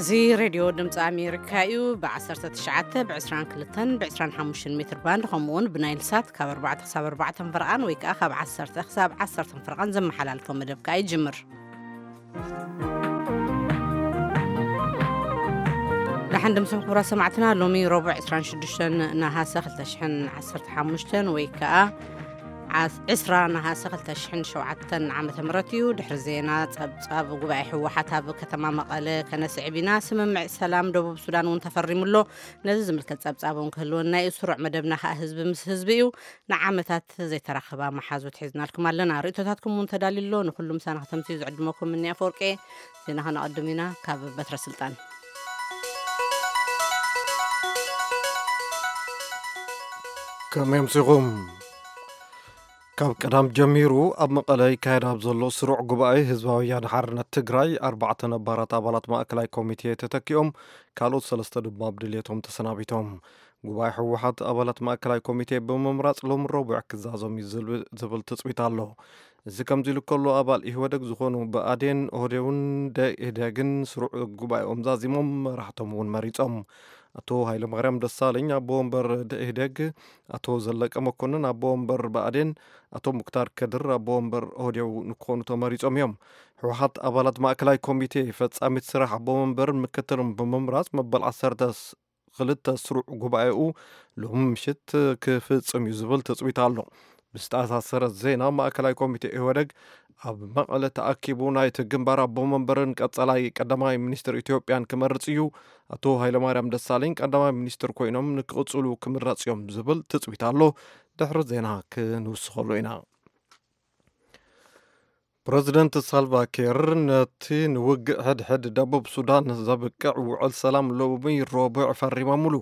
እዚ ሬድዮ ድምፂ ኣሜሪካ እዩ። ብ19፣ ብ22፣ ብ25 ሜትር ባንድ፣ ከምኡ እውን ብናይል ሳት ካብ ኣርባዕተ ክሳብ ኣርባዕተ ፈረቓን ወይ ከዓ ካብ ዓሰርተ ክሳብ ዓሰርተ ፈረቓን ዘመሓላልፎ መደብ ከዓ ይጅምር። ደሓን ድምፅም ክቡራት ሰማዕትና፣ ሎሚ ረቡዕ ዕስራን ሽዱሽተን ነሃሰ ክልተ ሽሕን ዓሰርተ ሓሙሽተን ወይ ከዓ ዓስ-፣ ዕስራ ነሃሰ ክልተ ሽሕን ሸውዓተን ዓመተ ምህረት እዩ። ድሕሪ ዜና፣ ጸብጻብ ጉባኤ ህወሓት ኣብ ከተማ መቐለ ከነስዕብ ኢና። ስምምዕ ሰላም ደቡብ ሱዳን እውን ተፈሪሙ ኣሎ። ነዚ ዝምልከት ጸብጻብ እውን ክህልወና እዩ። ስሩዕ መደብና ከኣ ህዝቢ ምስ ህዝቢ እዩ። ንዓመታት ዘይተራኸባ መሓዙት ሒዝናልኩም ኣለና። ርእቶታትኩም እውን ተዳልዩ ኣሎ። ንኹሉ ምሳና ከተምስዩ ዝዕድመኩም እኒ ኣፈወርቂ። ዜና ከነቐድም ኢና ካብ በትረ ስልጣን። ከመይ ኣምሲኹም? ካብ ቀዳም ጀሚሩ ኣብ መቐለ ይካየድ ኣብ ዘሎ ስሩዕ ጉባኤ ህዝባዊ ወያነ ሓርነት ትግራይ፣ ኣርባዕተ ነባራት ኣባላት ማእከላይ ኮሚቴ ተተኪኦም፣ ካልኦት ሰለስተ ድማ ብድልየቶም ተሰናቢቶም። ጉባኤ ህወሓት ኣባላት ማእከላይ ኮሚቴ ብምምራጽ ሎም ረቡዕ ክዛዞም እዩ ዝብል፣ ዝብል ትጽቢት ኣሎ። እዚ ከምዚ ኢሉ ከሎ፣ ኣባል ኢህወደግ ዝኾኑ ብኣዴን፣ ኦህዴውን ደኢህዴግን ስሩዕ ጉባኤኦም ዛዚሞም፣ መራሕቶም እውን መሪጾም። ኣቶ ሃይለማርያም ደሳለኝ ኣቦ ወንበር ደኢህዴግ፣ ኣቶ ዘለቀ መኮንን ኣቦ ወንበር ብኣዴን፣ ኣቶ ሙክታር ከድር ኣቦ ወንበር ኦህዴው ንክኾኑ ተመሪጾም እዮም። ህወሓት ኣባላት ማእከላይ ኮሚቴ፣ ፈጻሚት ስራሕ ኣቦ ወንበርን ምክትልን ብምምራጽ መበል ዓሰርተ ክልተ ስሩዕ ጉባኤኡ ሎሚ ምሽት ክፍጽም እዩ ዝብል ትጽቢት ኣሎ። ብዝተኣሳሰረ ዜና፣ ማእከላይ ኮሚቴ ኢህወደግ ኣብ መቐለ ተኣኪቡ ናይቲ ግንባር ኣቦ መንበርን ቀጸላይ ቀዳማይ ሚኒስትር ኢትዮጵያን ክመርጽ እዩ። ኣቶ ሃይለማርያም ደሳለኝ ቀዳማይ ሚኒስትር ኮይኖም ንክቕጽሉ ክምረጽ እዮም ዝብል ትጽቢት ኣሎ። ድሕሪ ዜና ክንውስኸሉ ኢና። ፕረዚደንት ሳልቫ ኪር ነቲ ንውግእ ሕድሕድ ደቡብ ሱዳን ዘብቅዕ ውዕል ሰላም ሎሚ ረቡዕ ፈሪሞምሉ።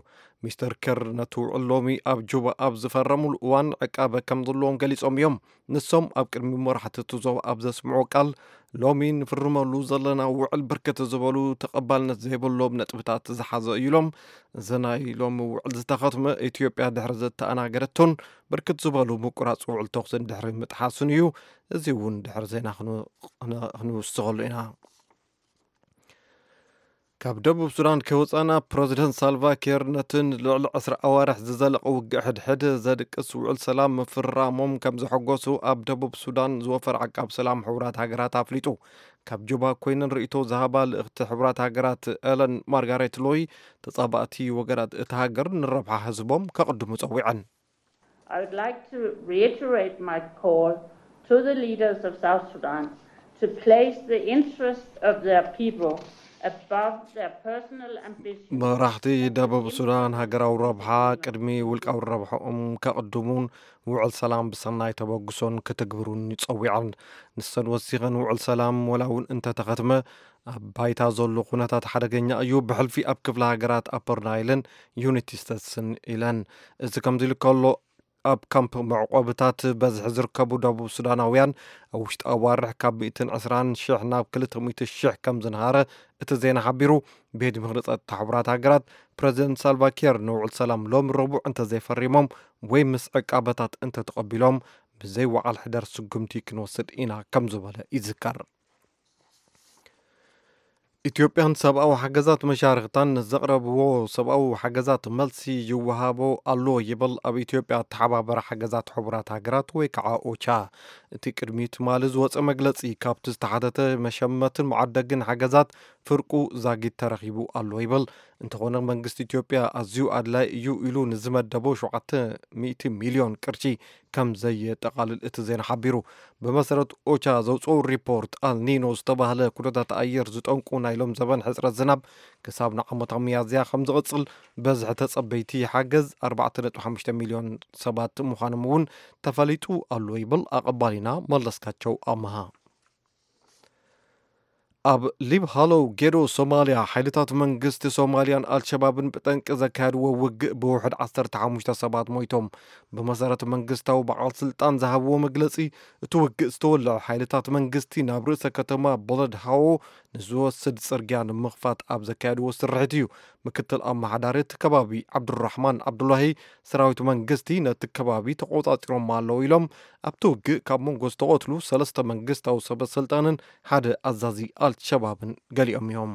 ሚስተር ኪር ነቲ ውዕል ሎሚ ኣብ ጁባ ኣብ ዝፈረሙሉ እዋን ዕቃበ ከም ዘለዎም ገሊጾም እዮም። ንሶም ኣብ ቅድሚ መራሕቲ እቲ ዞባ ኣብ ዘስምዑ ቃል፣ ሎሚ ንፍርመሉ ዘለና ውዕል ብርክት ዝበሉ ተቐባልነት ዘይብሎም ነጥብታት ዝሓዘ እዩ ኢሎም። እዚ ናይ ሎሚ ውዕል ዝተኸትመ፣ ኢትዮጵያ ድሕሪ ዘተኣናገደቶን ብርክት ዝበሉ ምቁራጽ ውዕል ተኹስን ድሕሪ ምጥሓሱን እዩ። እዚ እውን ድሕሪ ዜና ክን-፣ ክን-፣ ክንውስኸሉ ኢና። ካብ ደቡብ ሱዳን ከይወጻና፣ ፕረዚደንት ሳልቫ ኪር ነቲ ንልዕሊ ዕስራ ኣዋርሕ ዝዘለቐ ውግእ ሕድሕድ ዘድቅስ ውዕል ሰላም ምፍርራሞም ከም ዘሐጎሱ ኣብ ደቡብ ሱዳን ዝወፈረ ዓቃብ ሰላም ሕቡራት ሃገራት ኣፍሊጡ። ካብ ጁባ ኮይነን ርእይቶ ዝሃባ ልእኽቲ ሕቡራት ሃገራት ኤለን ማርጋሬት ሎይ፣ ተጻባእቲ ወገናት እታ ሃገር ንረብሓ ህዝቦም ከቕድሙ ጸዊዐን። I would like to reiterate my call to the leaders of South Sudan to place the interest of their people above their personal ambitions. መራሕቲ ደቡብ ሱዳን ሃገራዊ ረብሓ ቅድሚ ውልቃዊ ረብሓኦም ከቕድሙን ውዕል ሰላም ብሰናይ ተበግሶን ክትግብሩን ይጸዊዐን። ንሰን ወሲኸን፣ ውዕል ሰላም ወላ እውን እንተተኸትመ፣ ኣብ ባይታ ዘሎ ኩነታት ሓደገኛ እዩ፣ ብሕልፊ ኣብ ክፍለ ሃገራት ኣፐር ናይልን ዩኒቲ ስቴትስን ኢለን። እዚ ከምዚ ኢሉ ከሎ፣ ኣብ ካምፕ መዕቆብታት በዝሒ ዝርከቡ ደቡብ ሱዳናውያን ኣብ ውሽጢ ኣዋርሕ ካብ ሚእትን ዕስራን ሽሕ ናብ ክልተ ሚእቲ ሽሕ ከም ዝንሃረ እቲ ዜና ሓቢሩ። ቤት ምኽሪ ጸጥታ ሕቡራት ሃገራት፣ ፕረዚደንት ሳልቫ ኪር ንውዕል ሰላም ሎም ረቡዕ እንተዘይፈሪሞም ወይ ምስ ዕቃበታት እንተተቐቢሎም፣ ብዘይ ወዓል ሕደር ስጉምቲ ክንወስድ ኢና ከም ዝበለ ይዝከር። ኢትዮጵያን ሰብኣዊ ሓገዛት መሻርኽታን ንዘቕረብዎ ሰብኣዊ ሓገዛት መልሲ ይወሃቦ ኣሎ ይብል ኣብ ኢትዮጵያ ኣተሓባበረ ሓገዛት ሕቡራት ሃገራት ወይ ከዓ ኦቻ። እቲ ቅድሚ ትማሊ ዝወፀ መግለፂ፣ ካብቲ ዝተሓተተ መሸመትን መዓደግን ሓገዛት ፍርቁ ዛጊት ተረኺቡ ኣሎ ይብል። እንተኾነ መንግስቲ ኢትዮጵያ ኣዝዩ ኣድላይ እዩ ኢሉ ንዝመደቦ ሸውዓተ ሚእቲ ሚልዮን ቅርሺ ከም ዘየጠቓልል እቲ ዜና ሓቢሩ። ብመሰረት ኦቻ ዘውፅኦ ሪፖርት፣ ኣልኒኖ ዝተባህለ ኩነታት ኣየር ዝጠንቁ ናይ ሎም ዘበን ሕፅረት ዝናብ ክሳብ ንዓመታዊ ሚያዝያ ከም ዝቕፅል፣ በዝሒ ተፀበይቲ ሓገዝ ኣርባዕተ ነጥቢ ሓሙሽተ ሚልዮን ሰባት ምዃኖም እውን ተፈሊጡ ኣሎ ይብል ኣቐባሊና መለስካቸው ኣመሃ። ኣብ ሊብ ሃሎው ጌዶ ሶማልያ፣ ሓይልታት መንግስቲ ሶማልያን ኣልሸባብን ብጠንቂ ዘካየድዎ ውግእ ብውሕድ ዓሰርተ ሓሙሽተ ሰባት ሞይቶም። ብመሰረት መንግስታዊ በዓል ስልጣን ዝሃብዎ መግለጺ፣ እቲ ውግእ ዝተወልዐ ሓይልታት መንግስቲ ናብ ርእሰ ከተማ ቦለድ ሃዎ ንዝወስድ ጽርግያ ንምኽፋት ኣብ ዘካየድዎ ስርሒት እዩ። ምክትል ኣመሓዳሪ እቲ ከባቢ ዓብዱራሕማን ዓብዱላሂ፣ ሰራዊት መንግስቲ ነቲ ከባቢ ተቖጻጺሮሞ ኣለዉ ኢሎም። ኣብቲ ውግእ ካብ መንጎ ዝተቐትሉ ሰለስተ መንግስታዊ ሰበ ስልጣንን ሓደ ኣዛዚ ኣልሸባብን ገሊኦም እዮም።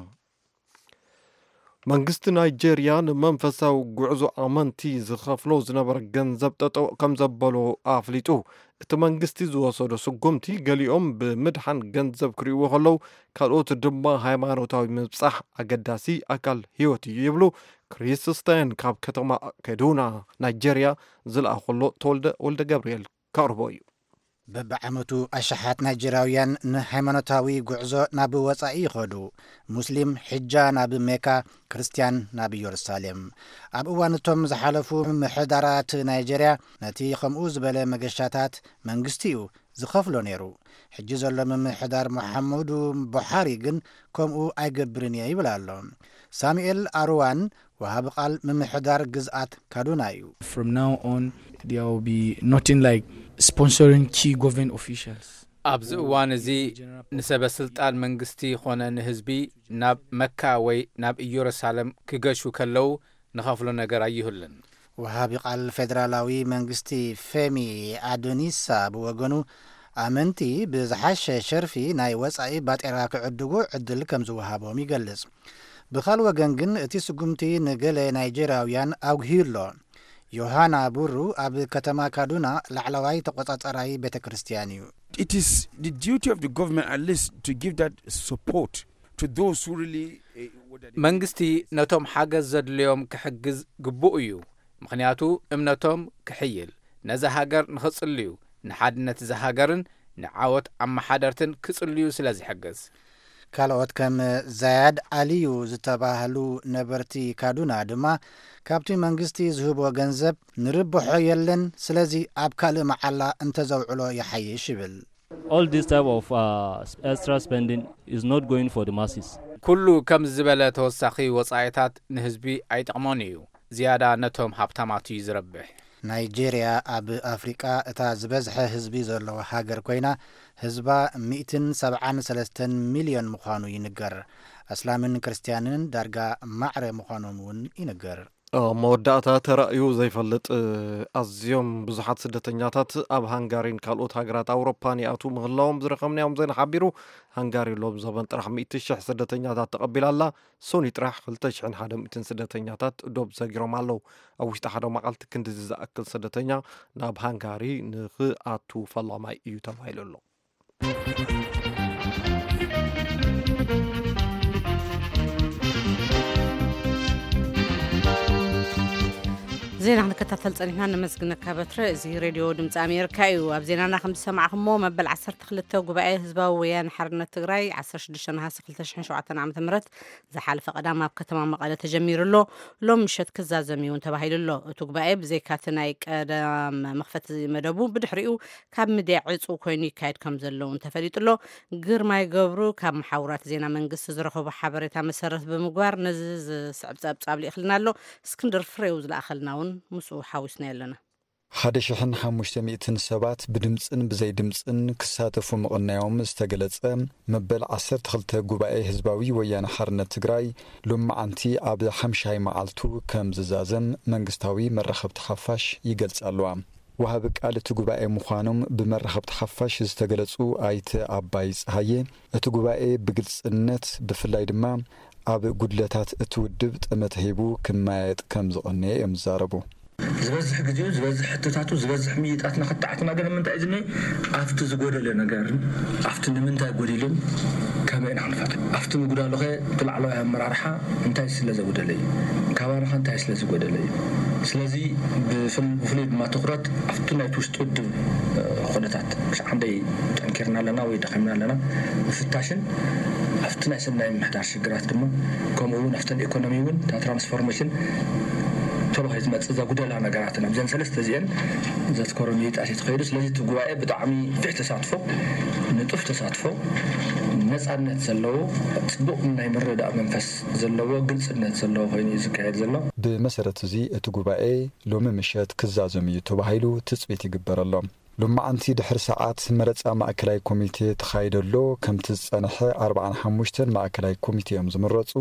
መንግስቲ ናይጄርያ ንመንፈሳዊ ጉዕዞ ኣመንቲ ዝኸፍሎ ዝነበረ ገንዘብ ጠጠው ከም ዘበሎ ኣፍሊጡ። እቲ መንግስቲ ዝወሰዶ ስጉምቲ ገሊኦም ብምድሓን ገንዘብ ክርእይዎ ከለዉ፣ ካልኦት ድማ ሃይማኖታዊ ምብጻሕ ኣገዳሲ ኣካል ህይወት እዩ ይብሉ። ክሪስታያን ካብ ከተማ ከዱና ናይጄርያ ዝለኣኸሎ ተወልደ ወልደ ገብርኤል ከቕርቦ እዩ። በብዓመቱ ኣሽሓት ናይጀርያውያን ንሃይማኖታዊ ጉዕዞ ናብ ወጻኢ ይኸዱ። ሙስሊም ሕጃ ናብ ሜካ፣ ክርስትያን ናብ ኢየሩሳሌም። ኣብ እዋን እቶም ዝሓለፉ ምምሕዳራት ናይጀርያ ነቲ ከምኡ ዝበለ መገሻታት መንግስቲ እዩ ዝኸፍሎ ነይሩ። ሕጂ ዘሎ ምምሕዳር መሓመዱ ቡሓሪ ግን ከምኡ ኣይገብርን እየ ይብል ኣሎ። ሳሙኤል ኣርዋን ወሃቢ ቃል ምምሕዳር ግዝኣት ካዱና እዩ። From now on, there will be nothing like sponsoring key government officials. ኣብዚ እዋን እዚ ንሰበ ስልጣን መንግስቲ ኾነ ንህዝቢ ናብ መካ ወይ ናብ ኢየሩሳሌም ክገሹ ከለዉ ንኸፍሎ ነገር ኣይህሉን። ወሃቢ ቃል ፌደራላዊ መንግስቲ ፌሚ ኣዶኒሳ ብወገኑ፣ ኣመንቲ ብዝሓሸ ሸርፊ ናይ ወጻኢ ባጤራ ክዕድጉ ዕድል ከም ዝወሃቦም ይገልጽ። ብኻል ወገን ግን እቲ ስጉምቲ ንገለ ናይጀርያውያን ኣጉህዩ ኣሎ። ዮሃና ቡሩ ኣብ ከተማ ካዱና ላዕለዋይ ተቆጻጸራይ ቤተ ክርስቲያን እዩ። It is the duty of the government at least to give that support to those who really. መንግስቲ ነቶም ሓገዝ ዘድልዮም ክሕግዝ ግቡእ እዩ። ምኽንያቱ እምነቶም ክሕይል፣ ነዛ ሃገር ንኽጽልዩ፣ ንሓድነት እዛ ሃገርን ንዓወት ኣመሓደርትን ክጽልዩ ስለ ዝሕግዝ። ካልኦት ከም ዛያድ ኣልዩ ዝተባህሉ ነበርቲ ካዱና ድማ፣ ካብቲ መንግስቲ ዝህቦ ገንዘብ ንርብሖ የለን፣ ስለዚ ኣብ ካልእ መዓላ እንተዘውዕሎ ይሓይሽ ይብል። All this type of uh, extra spending is not going for the masses. ኩሉ ከምዚ ዝበለ ተወሳኺ ወጻኢታት ንህዝቢ ኣይጠቕሞን እዩ። ዝያዳ ነቶም ሃብታማት እዩ ዝረብሕ። ናይጄርያ ኣብ ኣፍሪቃ እታ ዝበዝሐ ህዝቢ ዘለዋ ሃገር ኮይና፣ ህዝባ ሚእትን ሰብዓን ሰለስተን ሚልዮን ምዃኑ ይንገር። ኣስላምን ክርስትያንን ዳርጋ ማዕረ ምዃኖም እውን ይንገር። ኣብ መወዳእታ ተራእዩ ዘይፈልጥ ኣዝዮም ብዙሓት ስደተኛታት ኣብ ሃንጋሪን ካልኦት ሃገራት ኣውሮፓን ይኣትዉ ምህላዎም ዝረኸብናዮም ዜና ሓቢሩ። ሃንጋሪ ሎም ዘበን ጥራሕ ሚእቲ ሽሕ ስደተኛታት ተቐቢላ ኣላ። ሶኒ ጥራሕ ክልተ ሽሕን ሓደ ሚእትን ስደተኛታት ዶብ ሰጊሮም ኣለዉ። ኣብ ውሽጢ ሓደ መዓልቲ ክንድዚ ዝኣክል ስደተኛ ናብ ሃንጋሪ ንኽኣቱ ፈላማይ እዩ ተባሂሉ ኣሎ። ዜና ክንከታተል ጸኒሕና ነመስግነካ በትረ። እዚ ሬድዮ ድምፂ ኣሜሪካ እዩ። ኣብ ዜናና ከም ዝሰማዕኹሞ መበል ዓሰርተ ክልተ ጉባኤ ህዝባዊ ወያነ ሓርነት ትግራይ ዓሰርተ ሽዱሽተ ነሓሰ ክልተ ሽሕን ሸውዓተን ዓመተ ምህረት ዝሓለፈ ቀዳም ኣብ ከተማ መቐለ ተጀሚሩ ኣሎ። ሎም ምሸት ክዛዘም እውን ተባሂሉ ኣሎ። እቲ ጉባኤ ብዘይካቲ ናይ ቀዳም መኽፈቲ መደቡ ብድሕሪኡ ካብ ሚድያ ዕፁ ኮይኑ ይካየድ ከም ዘሎ እውን ተፈሊጡ ኣሎ። ግርማይ ገብሩ ካብ መሓውራት ዜና መንግስቲ ዝረኸቦ ሓበሬታ መሰረት ብምግባር ነዚ ዝስዕብ ጸብጻብ ልኢኽልና ኣሎ። እስክንድር ፍሬው ዝለኣኸልና እውን ምስኡ ሓዊስና ኣለና። ሓደ ሽሕን ሓሙሽተ ሚእትን ሰባት ብድምፅን ብዘይ ድምፅን ክሳተፉ ምቕናዮም ዝተገለጸ መበል ዓሰርተ ክልተ ጉባኤ ህዝባዊ ወያነ ሓርነት ትግራይ ሎማዓንቲ ኣብ ሓምሻይ መዓልቱ ከም ዝዛዘም መንግስታዊ መራኸብቲ ሓፋሽ ይገልጻ ኣለዋ። ወሃቢ ቃል እቲ ጉባኤ ምዃኖም ብመራኸብቲ ሓፋሽ ዝተገለጹ ኣይተ ኣባይ ጸሃየ፣ እቲ ጉባኤ ብግልጽነት ብፍላይ ድማ ኣብ ጉድለታት እቲ ውድብ ጠመተ ሂቡ ክመያየጥ ከም ዝቐነየ እዮም ዝዛረቡ። ዝበዝሕ ግዜኡ ዝበዝሕ ሕቶታቱ ዝበዝሕ ምይይጣትና ክተዓትና ገለ ምንታይ እዩ ዝኒ ኣብቲ ዝጎደለ ነገርን ኣብቲ ንምንታይ ጎዲሉን ከመይ ኢና ክንፈት ኣብቲ ምጉዳሉኸ እቲ ላዕለዋይ ኣመራርሓ እንታይ ስለ ዘጉደለ እዩ ካባናኸ እንታይ ስለ ዝጎደለ እዩ ስለዚ ብፍሉይ ድማ ትኩረት ኣብቲ ናይቲ ውሽጢ ውድብ ኩነታት ክሳዕ ክንደይ ጠንኪርና ኣለና ወይ ደኺምና ኣለና ምፍታሽን ኣብቲ ናይ ሰናይ ምሕዳር ሽግራት ድማ ከምኡ እውን ኣብተን ኢኮኖሚ እውን እታ ትራንስፎርሜሽን ቶሎ ከይትመፅእ ዘጉደላ ነገራትን ኣብዘን ሰለስተ እዚአን ዘትኮሮ ምይይጣት እዩ ተኸይዱ ስለዚ እቲ ጉባኤ ብጣዕሚ ፊሕ ተሳትፎ ንጡፍ ተሳትፎ ነፃነት ዘለዎ ፅቡቕ ናይ ምርዳእ መንፈስ ዘለዎ ግልፅነት ዘለዎ ኮይኑ እዩ ዝካየድ ዘሎ። ብመሰረት እዚ እቲ ጉባኤ ሎሚ ምሸት ክዛዘም እዩ ተባሂሉ ትፅቢት ይግበረሎም። ሎማዓንቲ ድሕሪ ሰዓት መረፃ ማእከላይ ኮሚቴ ተኻይደሎ ከምቲ ዝፀንሐ ኣርባዓን ሓሙሽተን ማእከላይ ኮሚቴ እዮም ዝምረፁ።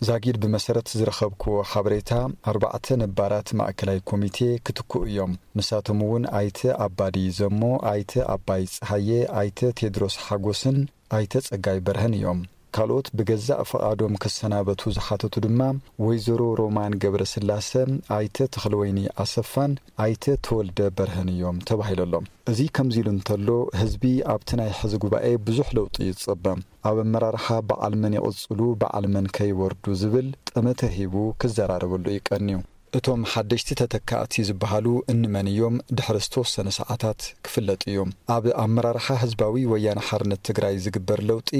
ዛጊድ ብመሰረት ዝረኸብክዎ ሓበሬታ ኣርባዕተ ነባራት ማእከላይ ኮሚቴ ክትክኡ እዮም። ንሳቶም እውን ኣይተ ኣባዲ ዘሞ፣ ኣይተ ኣባይ ፀሃየ፣ ኣይተ ቴድሮስ ሓጎስን ኣይተ ፀጋይ በርሀን እዮም። ካልኦት ብገዛእ ፍቓዶም ክሰናበቱ ዝሓተቱ ድማ ወይዘሮ ሮማን ገብረስላሰ፣ ኣይተ ተኽለወይኒ ኣሰፋን ኣይተ ተወልደ በርሀን እዮም ተባሂሉ ኣሎ። እዚ ከምዚ ኢሉ እንተሎ፣ ህዝቢ ኣብቲ ናይ ሕዚ ጉባኤ ብዙሕ ለውጢ ይጸበ። ኣብ ኣመራርሓ በዓል መን ይቕጽሉ፣ በዓል መን ከይወርዱ ዝብል ጠመተ ሂቡ ክዘራረበሉ እዩ ቀንዩ። እቶም ሓደሽቲ ተተካእቲ ዝበሃሉ እንመን እዮም ድሕሪ ዝተወሰነ ሰዓታት ክፍለጥ እዩ። ኣብ ኣመራርሓ ህዝባዊ ወያነ ሓርነት ትግራይ ዝግበር ለውጢ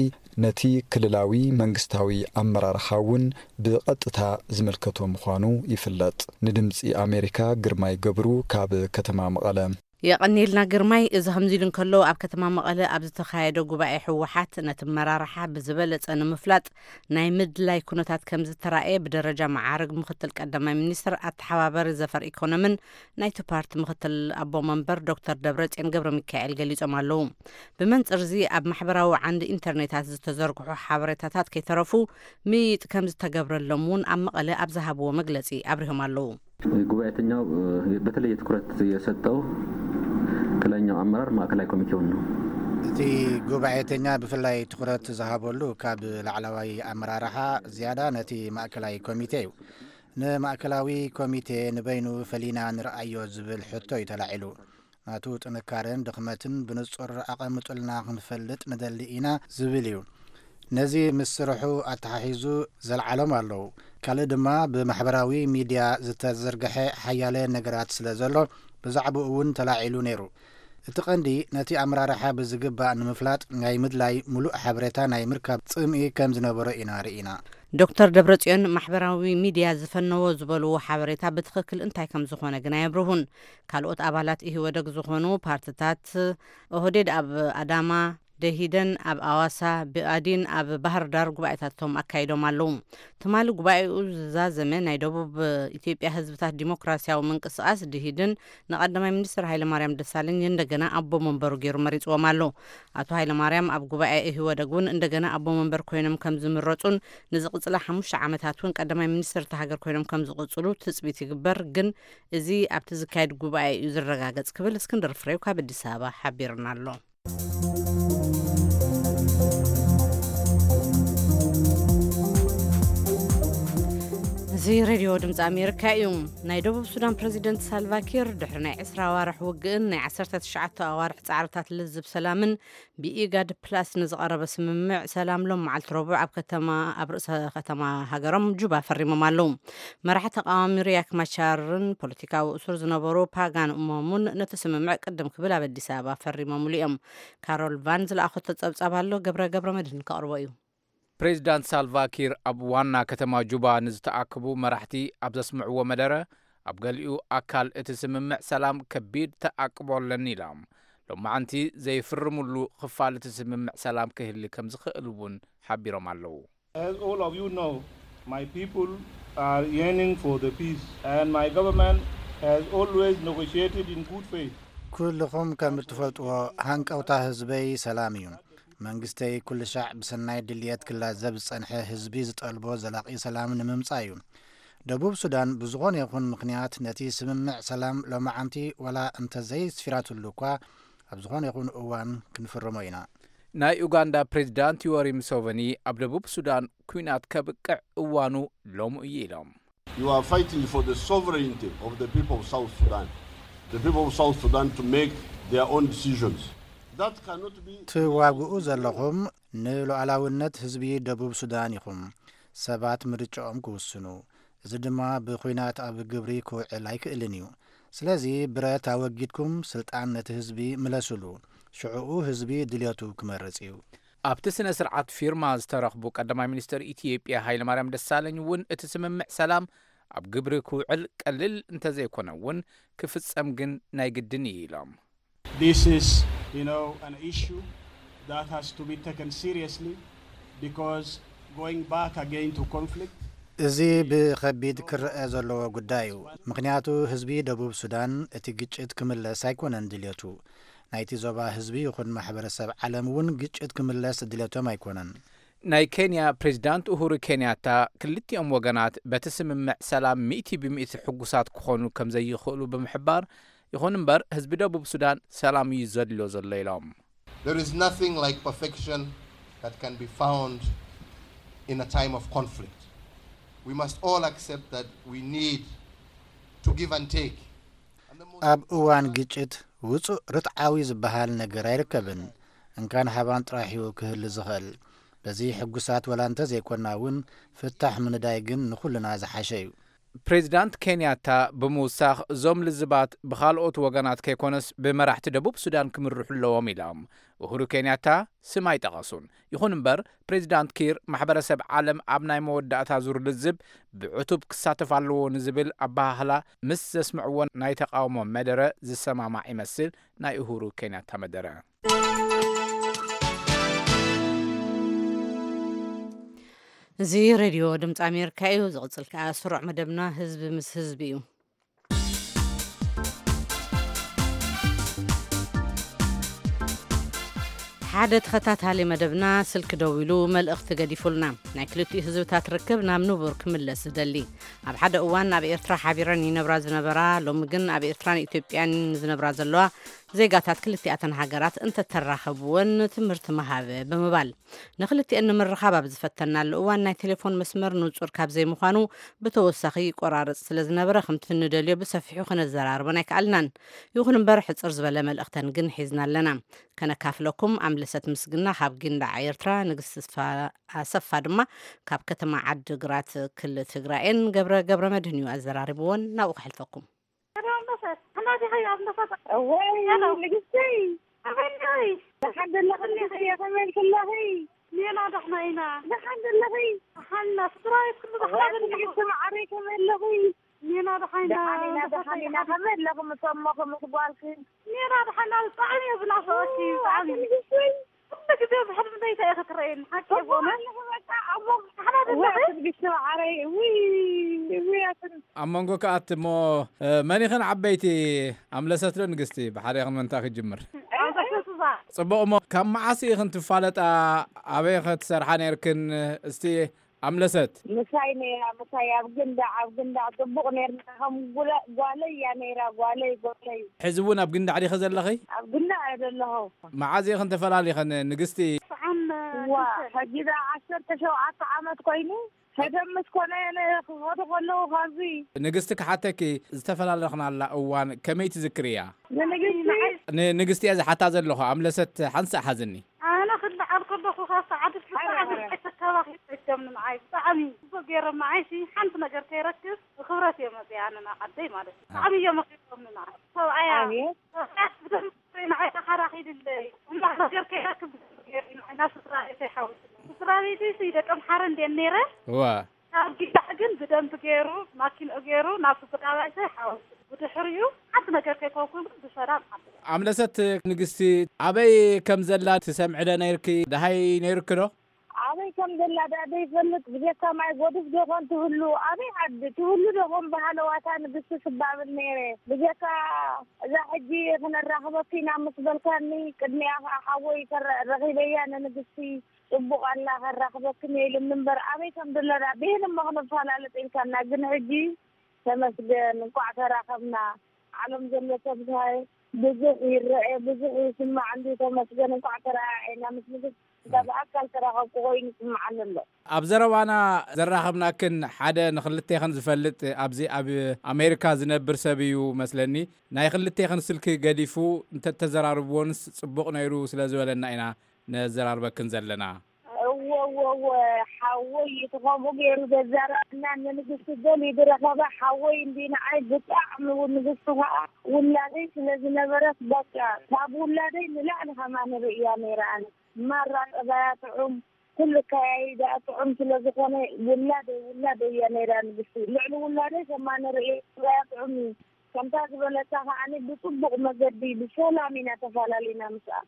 ነቲ ክልላዊ መንግስታዊ ኣመራርሓ እውን ብቐጥታ ዝምልከቶ ምዃኑ ይፍለጥ። ንድምጺ ኣሜሪካ ግርማይ ገብሩ ካብ ከተማ መቐለ። የቐንየልና ግርማይ። እዚ ከምዚ ኢሉ እንከሎ፣ ኣብ ከተማ መቐለ ኣብ ዝተኻየደ ጉባኤ ህወሓት ነቲ ኣመራርሓ ብዝበለጸ ንምፍላጥ ናይ ምድላይ ኩነታት ከም ዝተራእየ ብደረጃ መዓርግ ምክትል ቀዳማይ ሚኒስትር ኣተሓባባሪ ዘፈር ኢኮኖምን ናይቲ ፓርቲ ምክትል ኣቦ መንበር ዶክተር ደብረጽዮን ገብረ ሚካኤል ገሊጾም ኣለዉ። ብመንጽር እዚ ኣብ ማሕበራዊ ዓንዲ ኢንተርኔታት ዝተዘርግሑ ሓበሬታታት ከይተረፉ ምይይጥ ከም ዝተገብረሎም እውን ኣብ መቐለ ኣብ ዝሃብዎ መግለጺ ኣብሪሆም ኣለዉ። ጉባኤተኛው በተለየ ትኩረት የሰጠው ከላይኛው አመራር ማዕከላዊ ኮሚቴውን ነው። እቲ ጉባኤተኛ ብፍላይ ትኹረት ዝሃበሉ ካብ ላዕለዋይ ኣመራርሓ ዝያዳ ነቲ ማእከላይ ኮሚቴ እዩ። ንማእከላዊ ኮሚቴ ንበይኑ ፈሊና ንርኣዮ ዝብል ሕቶ እዩ ተላዒሉ። ናቱ ጥንካረን ድኽመትን ብንጹር ኣቐምጡልና ክንፈልጥ ንደሊ ኢና ዝብል እዩ። ነዚ ምስ ስርሑ ኣተሓሒዙ ዘልዓሎም ኣለዉ። ካልእ ድማ ብማሕበራዊ ሚድያ ዝተዘርግሐ ሓያለ ነገራት ስለ ዘሎ ብዛዕባኡ እውን ተላዒሉ ነይሩ። እቲ ቀንዲ ነቲ ኣመራርሓ ብዝግባእ ንምፍላጥ ናይ ምድላይ ምሉእ ሓበሬታ ናይ ምርካብ ጽምኢ ከም ዝነበሮ ኢና ርኢና። ዶክተር ደብረጽዮን ማሕበራዊ ሚድያ ዝፈነዎ ዝበልዎ ሓበሬታ ብትኽክል እንታይ ከም ዝኾነ ግን ኣየብርሁን። ካልኦት ኣባላት ኢህወደግ ዝኾኑ ፓርትታት ኦህዴድ ኣብ ኣዳማ፣ ደሂደን ኣብ ኣዋሳ፣ ብኣዲን ኣብ ባህር ዳር ጉባኤታቶም ኣካይዶም ኣለዉ። ትማሊ ጉባኤኡ ዝዛዘመ ናይ ደቡብ ኢትዮጵያ ህዝብታት ዲሞክራሲያዊ ምንቅስቃስ ድሂድን ንቀዳማይ ሚኒስትር ሃይለማርያም ደሳለኝ እንደገና ኣቦ መንበሩ ገይሩ መሪጽዎም ኣሎ። ኣቶ ሃይለማርያም ኣብ ጉባኤ ኢህወደግ እውን እንደገና ኣቦ መንበር ኮይኖም ከም ዝምረጹን ንዝቕጽላ ሓሙሽተ ዓመታት እውን ቀዳማይ ሚኒስትር እታ ሃገር ኮይኖም ከም ዝቕጽሉ ትጽቢት ይግበር፣ ግን እዚ ኣብቲ ዝካየድ ጉባኤ እዩ ዝረጋገጽ ክብል እስክንድር ፍሬው ካብ ኣዲስ ኣበባ ሓቢርና ኣሎ። እዚ ሬድዮ ድምፂ ኣሜሪካ እዩ። ናይ ደቡብ ሱዳን ፕረዚደንት ሳልቫኪር ድሕሪ ናይ ዕስራ ኣዋርሕ ውግእን ናይ ዓሰርተ ትሽዓተ ኣዋርሕ ፃዕርታት ልዝብ ሰላምን ብኢጋድ ፕላስ ንዝቐረበ ስምምዕ ሰላም ሎም መዓልቲ ረቡዕ ኣብ ከተማ፣ ኣብ ርእሰ ከተማ ሃገሮም ጁባ ፈሪሞም ኣለዉ። መራሒ ተቃዋሚ ሪያክ ማቻርን ፖለቲካዊ እሱር ዝነበሩ ፓጋን እሞሙን ነቲ ስምምዕ ቅድም ክብል ኣብ ኣዲስ ኣበባ ፈሪሞምሉ እዮም። ካሮል ቫን ዝለኣኸቶ ጸብጻብ ኣሎ፣ ገብረ ገብረ መድህን ከቕርቦ እዩ። ፕሬዚዳንት ሳልቫኪር ኣብ ዋና ከተማ ጁባ ንዝተኣከቡ መራሕቲ ኣብ ዘስምዕዎ መደረ፣ ኣብ ገሊኡ ኣካል እቲ ስምምዕ ሰላም ከቢድ ተኣቅቦ ኣለኒ ኢሎም። ሎማዓንቲ ዘይፍርምሉ ክፋል እቲ ስምምዕ ሰላም ክህሊ ከም ዝኽእል እውን ሓቢሮም ኣለዉ። As all of you know, my people are yearning for the peace, and my government has always negotiated in good faith. ኩልኹም ከም እትፈልጥዎ፣ ሃንቀውታ ህዝበይ ሰላም እዩ። መንግስተይ ኩሉ ሻዕ ብሰናይ ድልየት ክላዘብ ዝጸንሐ፣ ህዝቢ ዝጠልቦ ዘላቒ ሰላም ንምምጻእ እዩ። ደቡብ ሱዳን ብዝኾነ ይኹን ምኽንያት ነቲ ስምምዕ ሰላም ሎማዓንቲ ዋላ እንተዘይስፊራትሉ እኳ፣ ኣብ ዝኾነ ይኹን እዋን ክንፍርሞ ኢና። ናይ ኡጋንዳ ፕሬዚዳንት ዮወሪ ሙሴቨኒ ኣብ ደቡብ ሱዳን ኲናት ከብቅዕ እዋኑ ሎሚ እዩ ኢሎም። You are fighting for the sovereignty of the people of South Sudan, the people of South Sudan to make their own decisions. That cannot be ትዋግኡ ዘለኹም ንሉዓላውነት ህዝቢ ደቡብ ሱዳን ኢኹም። ሰባት ምርጫኦም ክውስኑ፣ እዚ ድማ ብኹናት ኣብ ግብሪ ክውዕል ኣይክእልን እዩ። ስለዚ ብረት ኣወጊድኩም ስልጣን ነቲ ህዝቢ ምለሱሉ። ሽዕኡ ህዝቢ ድልየቱ ክመርጽ እዩ። ኣብቲ ስነ ስርዓት ፊርማ ዝተረኽቡ ቀዳማይ ሚኒስትር ኢትዮጵያ ሃይለማርያም ደሳለኝ እውን እቲ ስምምዕ ሰላም ኣብ ግብሪ ክውዕል ቀሊል እንተዘይኮነ እውን ክፍጸም ግን ናይ ግድን እዩ ኢሎም። This is, you know, an issue that has to be taken seriously because going back again to conflict እዚ ብኸቢድ ክረአ ዘለዎ ጉዳይ እዩ። ምኽንያቱ ህዝቢ ደቡብ ሱዳን እቲ ግጭት ክምለስ ኣይኮነን ድልየቱ። ናይቲ ዞባ ህዝቢ ይኹን ማሕበረሰብ ዓለም እውን ግጭት ክምለስ ድልየቶም ኣይኮነን። ናይ ኬንያ ፕሬዚዳንት ኡሁሩ ኬንያታ ክልቲኦም ወገናት በቲ ስምምዕ ሰላም ሚእቲ ብሚእቲ ሕጉሳት ክኾኑ ከም ዘይኽእሉ ብምሕባር፣ ይኹን እምበር ህዝቢ ደቡብ ሱዳን ሰላም እዩ ዘድልዮ ዘሎ ኢሎም። There is nothing like perfection that can be found in a time of conflict. We must all accept that we need to give and take. And the most ኣብ እዋን ግጭት ውጹእ ርትዓዊ ዝበሃል ነገር ኣይርከብን። እንካን ሃባን ጥራሕ እዩ ክህሉ ዝኽእል። በዚ ሕጉሳት ወላ እንተ ዘይኮና እውን፣ ፍታሕ ምንዳይ ግን ንኹልና ዝሓሸ እዩ። ፕሬዚዳንት ኬንያታ ብምውሳኽ፣ እዞም ልዝባት ብኻልኦት ወገናት ከይኮነስ ብመራሕቲ ደቡብ ሱዳን ክምርሑ ኣለዎም ኢሎም። ኡሁሩ ኬንያታ ስም ኣይጠቐሱን። ይኹን እምበር፣ ፕሬዚዳንት ኪር ማሕበረሰብ ዓለም ኣብ ናይ መወዳእታ ዙር ልዝብ ብዕቱብ ክሳተፍ ኣለዎ ንዝብል ኣበሃህላ ምስ ዘስምዕዎ ናይ ተቓውሞ መደረ ዝሰማማዕ ይመስል ናይ ኡሁሩ ኬንያታ መደረ። እዚ ሬድዮ ድምፂ ኣሜሪካ እዩ። ዝቕፅል ከዓ ስሩዕ መደብና ህዝቢ ምስ ህዝቢ እዩ። ሓደ ተኸታታሊ መደብና ስልኪ ደዊሉ መልእኽቲ ገዲፉልና። ናይ ክልቲኡ ህዝብታት ርክብ ናብ ንቡር ክምለስ ዝደሊ። ኣብ ሓደ እዋን ኣብ ኤርትራ ሓቢረን ይነብራ ዝነበራ፣ ሎሚ ግን ኣብ ኤርትራን ኢትዮጵያን ዝነብራ ዘለዋ ዜጋታት ክልቲኣተን ሃገራት እንተተራኸብወን ትምህርቲ ምሃብ ብምባል፣ ንክልቲኤን ንምርኻብ ኣብ ዝፈተናሉ እዋን ናይ ቴሌፎን መስመር ንጹር ካብ ዘይምዃኑ ብተወሳኺ ይቆራረጽ ስለ ዝነበረ፣ ከምቲ ንደልዮ ብሰፊሑ ክነዘራርበን ኣይከኣልናን። ይኹን እምበር፣ ሕጽር ዝበለ መልእኽተን ግን ሒዝና ኣለና። ከነካፍለኩም ኣምለሰት ምስግና ካብ ጊንዳዕ ኤርትራ፣ ንግስቲ ስፋ-፣ ኣሰፋ ድማ ካብ ከተማ ዓዲ ግራት ክልል ትግራይን ገብረ ገብረ መድህን እዩ ኣዘራሪብዎን። ናብኡ ከሕልፈኩም። ኣምለሰት፣ ኣምለሰት፣ ኣምለሰት። እወይ፣ ሄሎ። ንግስተይ። ኣበይ ኣለኺ? ደሓን ዘለኺ ንግስተይ፣ ከመይ ኣለኺ? ሜላ ደሕና ኢና። ደሓን ዘለኺ? ደሓን ኢና። ስድራ ቤት ኩሉ ደሓን እወይ፣ ኣለኹ። ንግስቲ መዓረይ፣ ከመይ ኣለኺ? ሜላ ደሓን ኢና። ደሓን ኢና፣ ደሓን ኢና። ከመይ ኣለኹም ምስ ኣሞኺ ምስ ጓልኪ? ሜላ ደሓን ኢና። ብጣዕሚ እየ ዝናፍቐኪ፣ ብጣዕሚ። ንግስተይ። ኩሉ ግዜ ብሕልሚ ለይታ እየ ክትረየኒ፣ ሓቂ እኮ ይኾነ። ኣለኹ በቃ፣ ኣሞ-፣ ደሓን ውይ፣ ኣለኺ? ኣቲ ንግስቲ መዓረይ፣ ውይ፣ ውይ፣ ኣቲ ኣብ መንጎ ከኣት እሞ፣ እ፣ መን ኢኽን ዓበይቲ? ኣምለሰት ዶ ንግስቲ? ብሓደ ኢኽን ምንታ ክጅምር? ኣምለሰት እዛ። ጽቡቕ እሞ፣ ካብ መዓስ ኢኽን ትፋለጣ? ኣበይ ኸ ትሰርሓ ነይርክን? እስቲ ኣምለሰት። ምሳይ ነይራ፣ ምሳይ ኣብ ግንዳዕ፣ ኣብ ግንዳዕ ጽቡቕ ነይርና። ከም ጉለ-፣ ጓለይ እያ ነይራ፣ ጓለይ፣ ጓለይ። ሕዚ እውን ኣብ ግንዳዕ ዲኸ ዘለኺ? ኣብ ግንዳዕ እየ ዘለኹ። መዓዝ ኢኽን ተፈላሊኸን ንግስቲ? ሰዓን ዋ፣ ክልተ። ሕጂ ደኣ ዓሰርተ ሸውዓተ ዓመት ኮይኑ። ቀደም ምስ ኮነ ነ-፣ ክኸዱ ከለዉ ካብዚ። ንግስቲ ክሓተኪ፣ ዝተፈላለኽናላ እዋን ከመይ ትዝክርያ? ንንግስቲ? ንንግስቲ እየ ዝሓታ ዘለኹ፣ ኣምለሰት ሓንሳእ ሓዝኒ። ኣነ ክልዓል ከለኹ ካብ ሰዓት ኣረ፣ ብጣዕሚ ኣረ። ኣይተካባኺ ተጀምኒ ንዓይ ብጣዕሚ ጽቡቅ ገይሮም ንዓይ ሲ ሓንቲ ነገር ከይረክብ ብክብረት እዮም መጽያ ኣነ ናብ ዓደይ ማለት እዩ። ብጣዕሚ እዮም ኣኽቢሮምኒ ንዓይ። ሰብኣያ፣ ኣቤት። ሰብኣያ ብደንብ ንዓይ ተኻራኺልለይ። እማ ነገር ከይረክብ ብደንብ ገይሩ ንዓይ ናብ ስድራ ቤተይ ሓዊስኒ። ስድራ ቤተይ ሲ ደቂ ኣምሓረ እንድየን ነይረ። እዋ። ካብ ጊዳ ግን ብደንብ ገይሩ ማኪንኡ ገይሩ ናብ ስድራ ቤተይ ሓዊሱ። ብድሕሪኡ ሓንቲ ነገር ከይኮንኩን ግን ብሰላም ዓዲ። ኣምለሰት ንግስቲ፣ ኣበይ ከም ዘላ ትሰምዒ ዶ ነይርኪ? ደሃይ ነይርኪ ዶ? ኣበይ ከም ዘላ ደኣ ዘይፈልጥ፣ ብጀካ ማይ ጎድፍ ዶ ኾን ትህሉ? ኣበይ ዓዲ ትህሉ ዶ ኾን? በሃለዋታ ንግስቲ ስባብል ነይረ። ብጀካ እዛ ሕጂ ክነራኽበኪ ኢና ምስ በልካኒ፣ ቅድሚኣ ኸዓ ሓወይ ከረ-፣ ረኺበያ ንንግስቲ። ጽቡቕ ኣላ ከራኽበክን እየ ኢሉኒ እምበር፣ ኣበይ ከም ዘሎ ደኣ ብሄን እሞ ክንፈላለጥ ኢልካና። ግን ሕጂ ተመስገን፣ እንቋዕ ተራኸብና። ዓለም ዘሎ ሰብ እንታይ ብዙሕ ይረአ፣ ብዙሕ ይስማዕ እንዲ፣ ተመስገን፣ እንቋዕ ተረኣኣና። ምስ ንግስቲ እንዳ ብኣካል ተራኸብኩ ኮይኑ ይስምዓኒ ኣሎ። ኣብ ዘረባና ዘራኸብናክን ሓደ ንኽልቴኽን ዝፈልጥ ኣብዚ ኣብ ኣሜሪካ ዝነብር ሰብ እዩ መስለኒ። ናይ ኽልቴኽን ስልኪ ገዲፉ እንተተዘራርብዎንስ ጽቡቕ ነይሩ ስለ ዝበለና ኢና ነዘራርበክን ዘለና። እወ፣ እወ፣ እወ፣ ሓወይ እቲ ከምኡ ገይሩ ዘዛረበና ንንግስቲ ገሊኡ ዝረኸበ ሓወይ እንዲ ንዓይ ብጣዕሚ እውን ንግስቲ ኸዓ ውላደይ ስለ ዝነበረት በቃ ካብ ውላደይ ንላዕሊ ከማን ርእያ ነይረ ኣነ። ማራ ጠባያ ጥዑም፣ ኩሉ ኣከያይዳ ጥዑም ስለ ዝኾነ ውላደይ፣ ውላደይ እያ ነይራ ንግስቲ። ልዕሊ ውላደይ ከማን ርእየ ጠባያ ጥዑም እዩ። ከምታ ዝበለታ ከዓኒ ብጽቡቕ መገዲ ብሰላም ኢና ተፈላለና ምስኣ።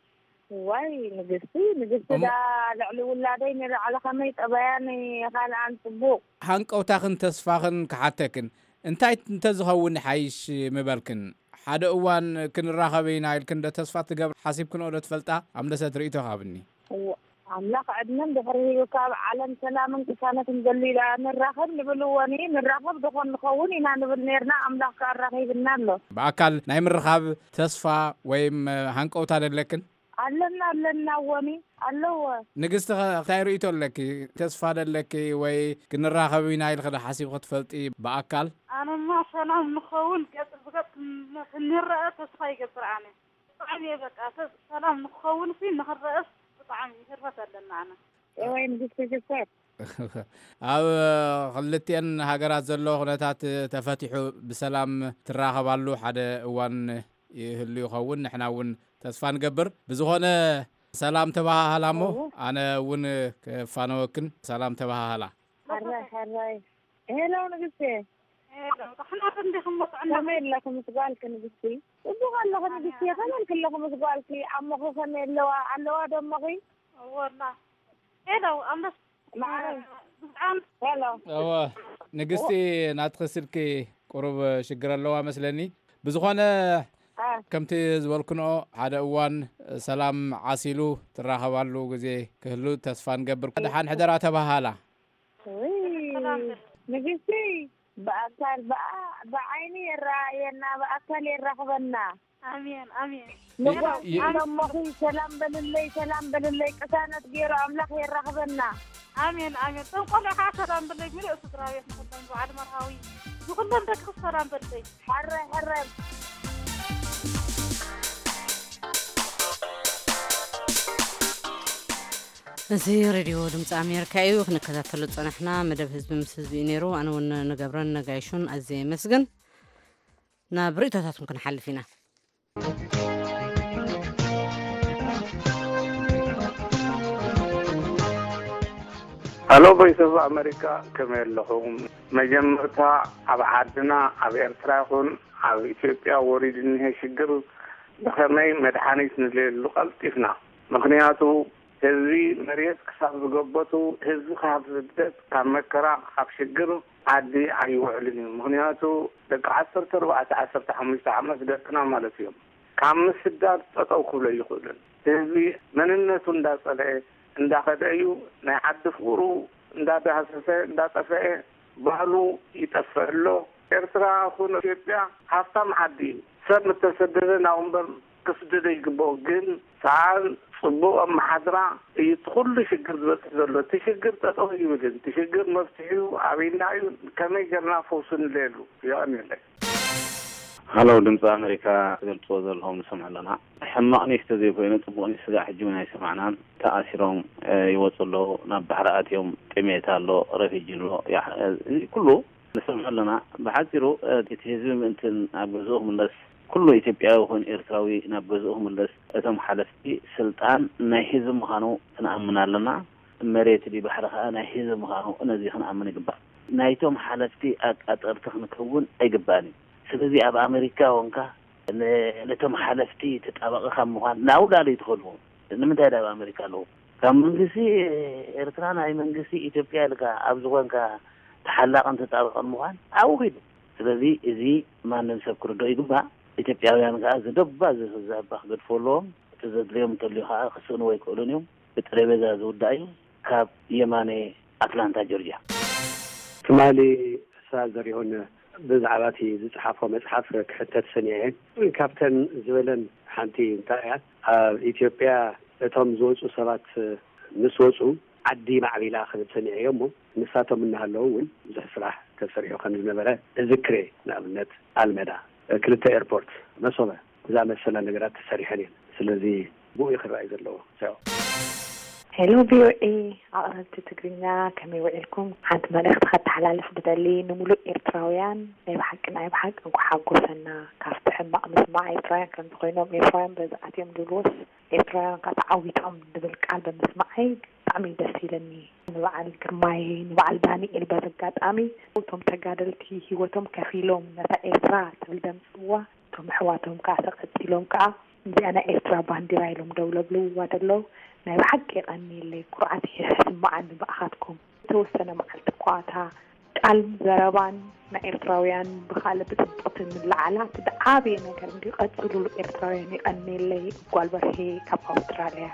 ዋይ ንግስቲ፣ ንግስቲ እሞ ዳ ልዕሊ ውላደይ ንላዕሊ ከመይ ጠባያን ካልኣን ጽቡቕ። ሃንቀውታኽን ተስፋኽን ክሓተክን፣ እንታይ እንተዝኸውን ይሓይሽ ምበልክን? ሓደ እዋን ክንራኸብ ኢና ኢልክን ዶ ተስፋ ትገብር ሓሲብክንኦ ዶ ትፈልጣ? ኣምለሰት ርእይቶኻ ሃብኒ። እወ፣ ኣምላኽ ዕድመን ድሕሪ ሂቡካ ኣብ ዓለም ሰላምን ቅሳነትን ገሊላ ንራኸብ ንብል እወኒ፣ ንራኸብ ዶኾን ንኸውን ኢና ንብል ኔርና፣ ኣምላኽ ከኣ ኣራኺብና ኣሎ። ብኣካል ናይ ምርኻብ ተስፋ ወይም ሃንቀውታ ደለክን? ኣለና ኣለና፣ ወኒ ኣለዎ። ንግስቲ፣ ከ እንታይ ርእይቶ ኣለኪ? ተስፋ ዶ ኣለኪ? ወይ ክንራኸብ ኢና ኢልኺ ዶ ሓሲብኺ ትፈልጢ ብኣካል? ኣነማ ሰላም ንኸውን፣ ገጽ ብገጽ ክን- ክንረአ ተስፋ ይገብር ኣነ። ብጣዕሚ እየ በቃ፣ ሰብ ሰላም ንክኸውን ሲ ንክረአስ ብጣዕሚ ህርፈት ኣለና ኣነ። እወይ ንግስቲ ሽኮር። ኣብ ክልቲኤን ሃገራት ዘሎ ኩነታት ተፈቲሑ ብሰላም ትራኸባሉ ሓደ እዋን ይህሉ ይኸውን፣ ንሕና እውን ተስፋ ንገብር። ብዝኾነ ሰላም ተባሃሃላ እሞ፣ እዎ። ኣነ እውን ክፋነወክን ሰላም ተባሃሃላ። ሕራይ ሕራይ። ሄሎ ንግስቲ። ሄሎ፣ ዳሕና እንዲኹም መፅዕና። ከመይ ኣለኹ ምስ ጓልኪ ንግስቲ? ጽቡቕ ኣለኹ ንግስቲ። ከመይ ኣለኹ ምስ ጓልኪ? ኣሞኺ ከመይ ኣለዋ? ኣለዋ ዶ እሞኺ? እወ ኣላ። ሄሎ፣ ኣምበስ-፣ ማዕረይ። ብጣዕሚ ሄሎ። እወ፣ ንግስቲ፣ ናትኺ ስልኪ ቁሩብ ሽግር ኣለዋ መስለኒ። ብዝኾነ፣ አ። ከምቲ ዝበልክንኦ፣ ሓደ እዋን ሰላም ዓሲሉ ትራኸባሉ ግዜ ክህሉ ተስፋ ንገብር። ደሓን ሕደራ ተባሃላ። ውይ፣ ሰላም በል። ንግስቲ፣ ብኣካል ብኣ-፣ ብዓይኒ የረኣየና፣ ብኣካል የራኽበና። ኣሜን፣ ኣሜን። ንጓል የ-፣ የ-፣ ደሞኺ ሰላም በልለይ፣ ሰላም በልለይ፣ ቅሳነት ገይሩ ኣምላኽ የራኽበና። ኣሜን፣ ኣሜን። እቶም ቆልዑ ከዓ ሰላም በልለይ፣ ምሉእ ስድራ ቤት ንኹሎም፣ በዓል መርሃዊ፣ ንኹሎም ደቅኺ ሰላም በልለይ። ሕራይ፣ ሕራይ። እዚ ሬድዮ ድምፂ ኣሜሪካ እዩ። ክንከታተሎ ዝፀናሕና መደብ ህዝቢ ምስ ህዝቢ እዩ ነይሩ። ኣነ እውን ንገብረን ነጋይሹን ኣዝየ የመስግን። ናብ ርእይቶታትኩም ክንሓልፍ ኢና። ሃሎ ቮይስ ኦፍ ኣሜሪካ፣ ከመይ ኣለኹም? መጀመርታ ኣብ ዓድና ኣብ ኤርትራ ይኹን ኣብ ኢትዮጵያ ወሪዱ እኒሀ ሽግር ብኸመይ መድሓኒት ንደልየሉ ቀልጢፍና። ምኽንያቱ ህዝቢ መሬት ክሳብ ዝገበቱ፣ ህዝቢ ካብ ስደት፣ ካብ መከራ፣ ካብ ሽግር ዓዲ ኣይውዕልን እዩ። ምኽንያቱ ደቂ ዓሰርተ ኣርባዕተ ዓሰርተ ሓሙሽተ ዓመት ደቅና ማለት እዮም። ካብ ምስዳድ ጠጠው ክብሎ ኣይኽእልን። ህዝቢ መንነቱ እንዳጸልአ እንዳኸደ እዩ። ናይ ዓዲ ፍቕሩ እንዳዳህሰሰ እንዳጠፈአ ባህሉ ይጠፍእ ኣሎ። ኤርትራ ኹን ኢትዮጵያ ሃብታም ዓዲ እዩ። ሰብ ምተሰደደ ናብኡ እምበር ክስደዶ ይግብኦ። ግን ሰኣን ጽቡቕ ኣመሓድራ እዩ እቲ ኩሉ ሽግር ዝበጽሕ ዘሎ። እቲ ሽግር ጠጠው ይብልን፣ እቲ ሽግር መፍትሒኡ ኣበይና እዩ፣ ከመይ ጌርና ፈውሱ ንለየሉ። የቐንየለይ። ሃሎ፣ ድምፂ ኣሜሪካ፣ ትገልፅዎ ዘለኹም ንሰምዕ ኣለና። ሕማቕ ኒስ ተዘይኮይኑ ፅቡቕ ኒስ ስጋዕ ሕጂ እውን ኣይሰማዕናን። ተኣሲሮም፣ እ፣ ይወፁ ኣለዉ፣ ናብ ባሕሪ ኣትዮም፣ ጥሜት ኣሎ፣ ረፊጂ ኣሎ፣ ያ-፣ እዚ ኩሉ ንሰምዖ ኣለና። ብሓፂሩ፣ እ፣ እቲ ህዝቢ ምእንቲ ናብ ገዝኡ ክምለስ፣ ኩሉ ኢትዮጵያዊ ይኹን ኤርትራዊ ናብ ገዝኡ ክምለስ፣ እቶም ሓለፍቲ ስልጣን ናይ ህዝቢ ምዃኑ ክንኣምን ኣለና። መሬት ድዩ ባሕሪ ከኣ ናይ ህዝቢ ምዃኑ ነዚ ክንኣምን ይግባእ። ናይቶም ሓለፍቲ ኣቃጠርቲ ክንከውን ኣይግባእን እዩ። ስለዚ ኣብ ኣሜሪካ ወንካ ን-፣ ነቶም ሓለፍቲ ተጣባቒ ካብ ምዃን ናብኡ ዳለዩ ትኸድዎ። ንምንታይ ዳ ኣብ ኣሜሪካ ኣለዉ? ካብ መንግስቲ ኤርትራ ናይ መንግስቲ ኢትዮጵያ ኢልካ ኣብ ዝኾንካ ተሓላቕን ተጣባቕን ምዃን ኣብኡ ኺዱ። ስለዚ እዚ ማንም ሰብ ክርድኦ ይግባእ። ኢትዮጵያውያን ከኣ ዝደባ ዝህዛባ ክገድፎ ኣለዎም። እቲ ዘድልዮም እንተልዩ ከኣ ክስእንዎ ኣይክእሉን እዮም። ብጠረጴዛ ዝውዳእ እዩ። ካብ የማነ ኣትላንታ ጆርጅያ። ትማሊ እሳ ዘሪሁን ብዛዕባ እቲ ዝጸሓፎ መጽሓፍ ክሕተት ሰኒዐ እየ። ካብተን ዝበለን ሓንቲ እንታይ እያ፣ ኣብ ኢትዮጵያ እቶም ዝወጹ ሰባት ምስ ወጹ ዓዲ ማዕቢላ ክብል ሰኒዐ እየ እሞ ንሳቶም እናሃለዉ እውን ብዙሕ ስራሕ ተሰሪሑ ከም ዝነበረ እዝክር እየ። ንኣብነት ኣልመዳ፣ ክልተ ኤርፖርት፣ መሶበ፣ ዝኣመሰላ ነገራት ተሰሪሐን እየን። ስለዚ ብኡ እዩ ክረኣይ ዘለዎ። ቻው። ሄሎ ቪኦኤ ኣቕረብቲ ትግርኛ፣ ከመይ ውዒልኩም? ሓንቲ መልእኽቲ ከተሓላልፍ ዝደሊ፣ ንምሉእ ኤርትራውያን ናይ ብሓቂ ናይ ብሓቂ እንኳዕ ሓጎሰና። ካብቲ ሕማቕ ምስማዕ ኤርትራውያን ከምዚ ኮይኖም፣ ኤርትራውያን በዚ ኣትዮም ዝብልዎስ፣ ኤርትራውያን ከዓ ተዓዊቶም ዝብል ቃል ብምስማዐይ ብጣዕሚ እዩ ደስ ኢለኒ። ንበዓል ግርማይ፣ ንበዓል ዳንኤል በዚ ኣጋጣሚ፣ እቶም ተጋደልቲ ህይወቶም ከፊሎም ነታ ኤርትራ ትብል ዘምጽእዋ፣ እቶም ኣሕዋቶም ከኣ ተቐጺሎም ከኣ እዚኣ ናይ ኤርትራ ባንዲራ ኢሎም ደው ለብልዋ ዘለዉ ናይ ብሓቂ የቐንየለይ። ኩርዓት ይስምዓኒ ብኣኻትኩም። ዝተወሰነ መዓልቲ እኳ እታ ቃል ዘረባን ናይ ኤርትራውያን ብኻልእ ብጽቡቕቲ ንለዓላ እቲ ዝዓበየ ነገር እንድዩ። ቀጽሉሉ ኤርትራውያን። የቐንየለይ። ጓል በርሄ ካብ ኣውስትራልያ።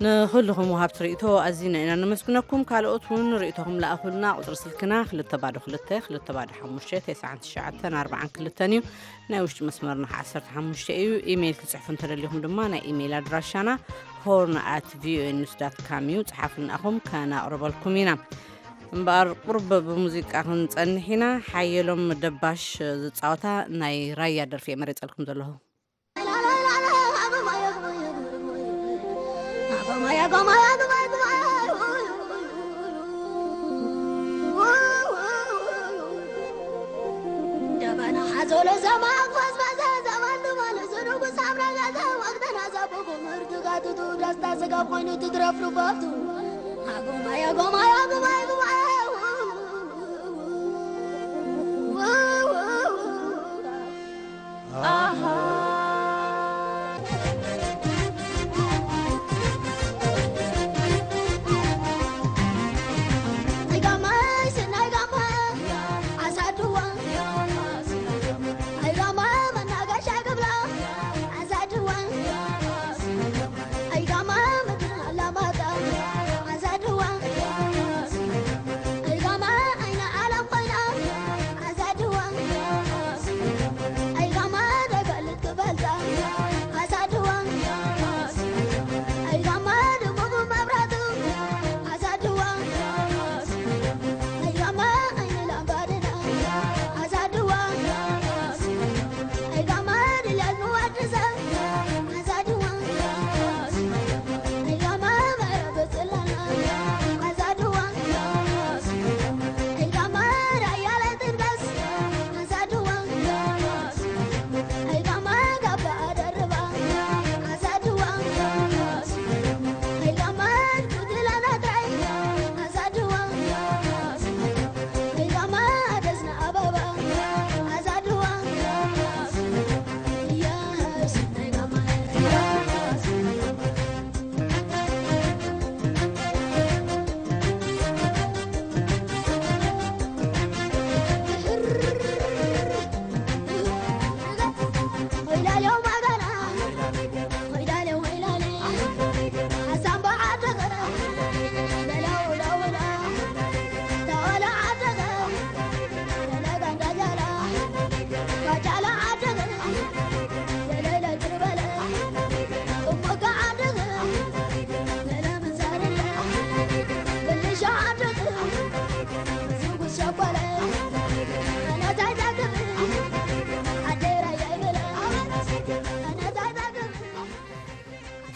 ንኹልኹም ወሃብቲ ርእይቶ ኣዚና ኢና ነመስግነኩም። ካልኦት እውን ርእይቶኹም ለኣኹልና። ቁጽሪ ስልክና ክልተ ባዶ ክልተ፣ ክልተ ባዶ ሓሙሽተ፣ ተስዓን ትሽዓተን ኣርባዓን ክልተን እዩ። ናይ ውሽጢ መስመርና ዓሰርተ ሓሙሽተ እዩ። ኢሜይል ክትጽሕፉ እንተደሊኹም ድማ ናይ ኢሜይል ኣድራሻና ሆርን ኣት ቪኦኤ ኒውስ ዳት ካም እዩ። ጽሓፉልናኹም ከናቕርበልኩም ኢና። እምበኣር ቁርብ ብሙዚቃ ክንጸንሕ ኢና። ሓየሎም ደባሽ ዝጻወታ ናይ ራያ ደርፊ እየ መሪጸልኩም ዘለኹ።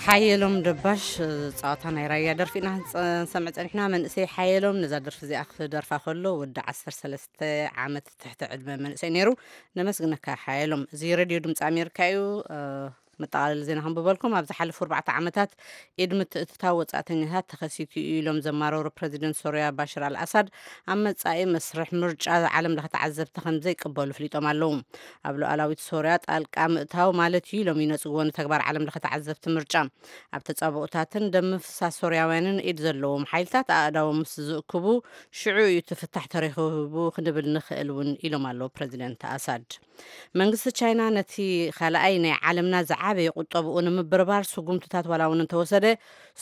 ሓየሎም ደባሽ ጸዋታ ናይ ራያ ደርፊ ኢና ንሰምዕ ጸኒሕና። መንእሰይ ሓየሎም ነዛ ደርፊ እዚኣ ክደርፋ ከሎ ወዲ ዓሰርተ ሰለስተ ዓመት ትሕቲ ዕድመ መንእሰይ ነይሩ። ነመስግነካ ሓየሎም። እዚ ሬድዮ ድምፂ ኣሜሪካ እዩ። መጠቓለሊ ዜና ከንብበልኩም። ኣብ ዝሓለፉ ኣርባዕተ ዓመታት ኢድ ምትእትታው ወጻእተኛታት ተኸሲቱ እዩ ኢሎም ዘማረሩ ፕረዚደንት ሶርያ ባሽር ኣልኣሳድ፣ ኣብ መጻኢ መስርሕ ምርጫ ዓለም ለኸ ተዓዘብቲ ከም ዘይቅበሉ ፍሊጦም ኣለዉ። ኣብ ሉዓላዊት ሶርያ ጣልቃ ምእታው ማለት እዩ ኢሎም ይነጽግዎ ንተግባር ዓለም ለኸ ተዓዘብቲ ምርጫ። ኣብ ተጻብኦታትን ደም ምፍሳስ ሶርያውያንን ኢድ ዘለዎም ሓይልታት ኣእዳዎም ምስ ዝእክቡ ሽዑ እዩ እቲ ፍታሕ ተረኺቡ ክንብል ንኽእል እውን ኢሎም ኣለዉ ፕረዚደንት ኣሳድ። መንግስቲ ቻይና ነቲ ካልኣይ ናይ ዓለምና ዝዓበየ ቁጠብኡ ንምብርባር ስጉምትታት ዋላ እውን እንተወሰደ፣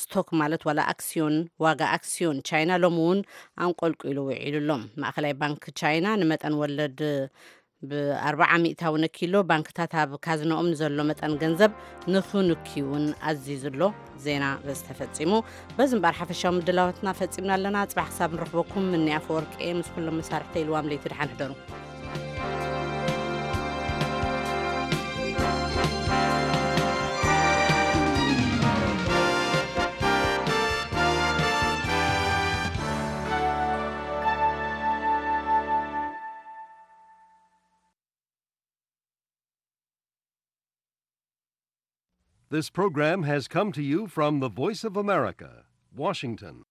ስቶክ ማለት ዋላ ኣክስዮን፣ ዋጋ ኣክስዮን ቻይና ሎሚ እውን ኣንቆልቂሉ ውዒሉ ኣሎ። ማእኸላይ ባንክ ቻይና ንመጠን ወለድ ብኣርባዓ ሚእታዊ ነኪሎ፣ ባንክታት ኣብ ካዝንኦም ንዘሎ መጠን ገንዘብ ንኽንኪ እውን ኣዚዙ ኣሎ። ዜና በዚ ተፈጺሙ። በዚ እምበኣር ሓፈሻዊ ምድላዋትና ፈጺምና ኣለና። ጽባሕ ክሳብ ንረኽበኩም፣ ምኒ ኣፈወርቂ ምስ ኩሎም መሳርሕተይ ኢልዋም ለይቲ ደሓን ሕደሩ። This program has come to you from the Voice of America, Washington.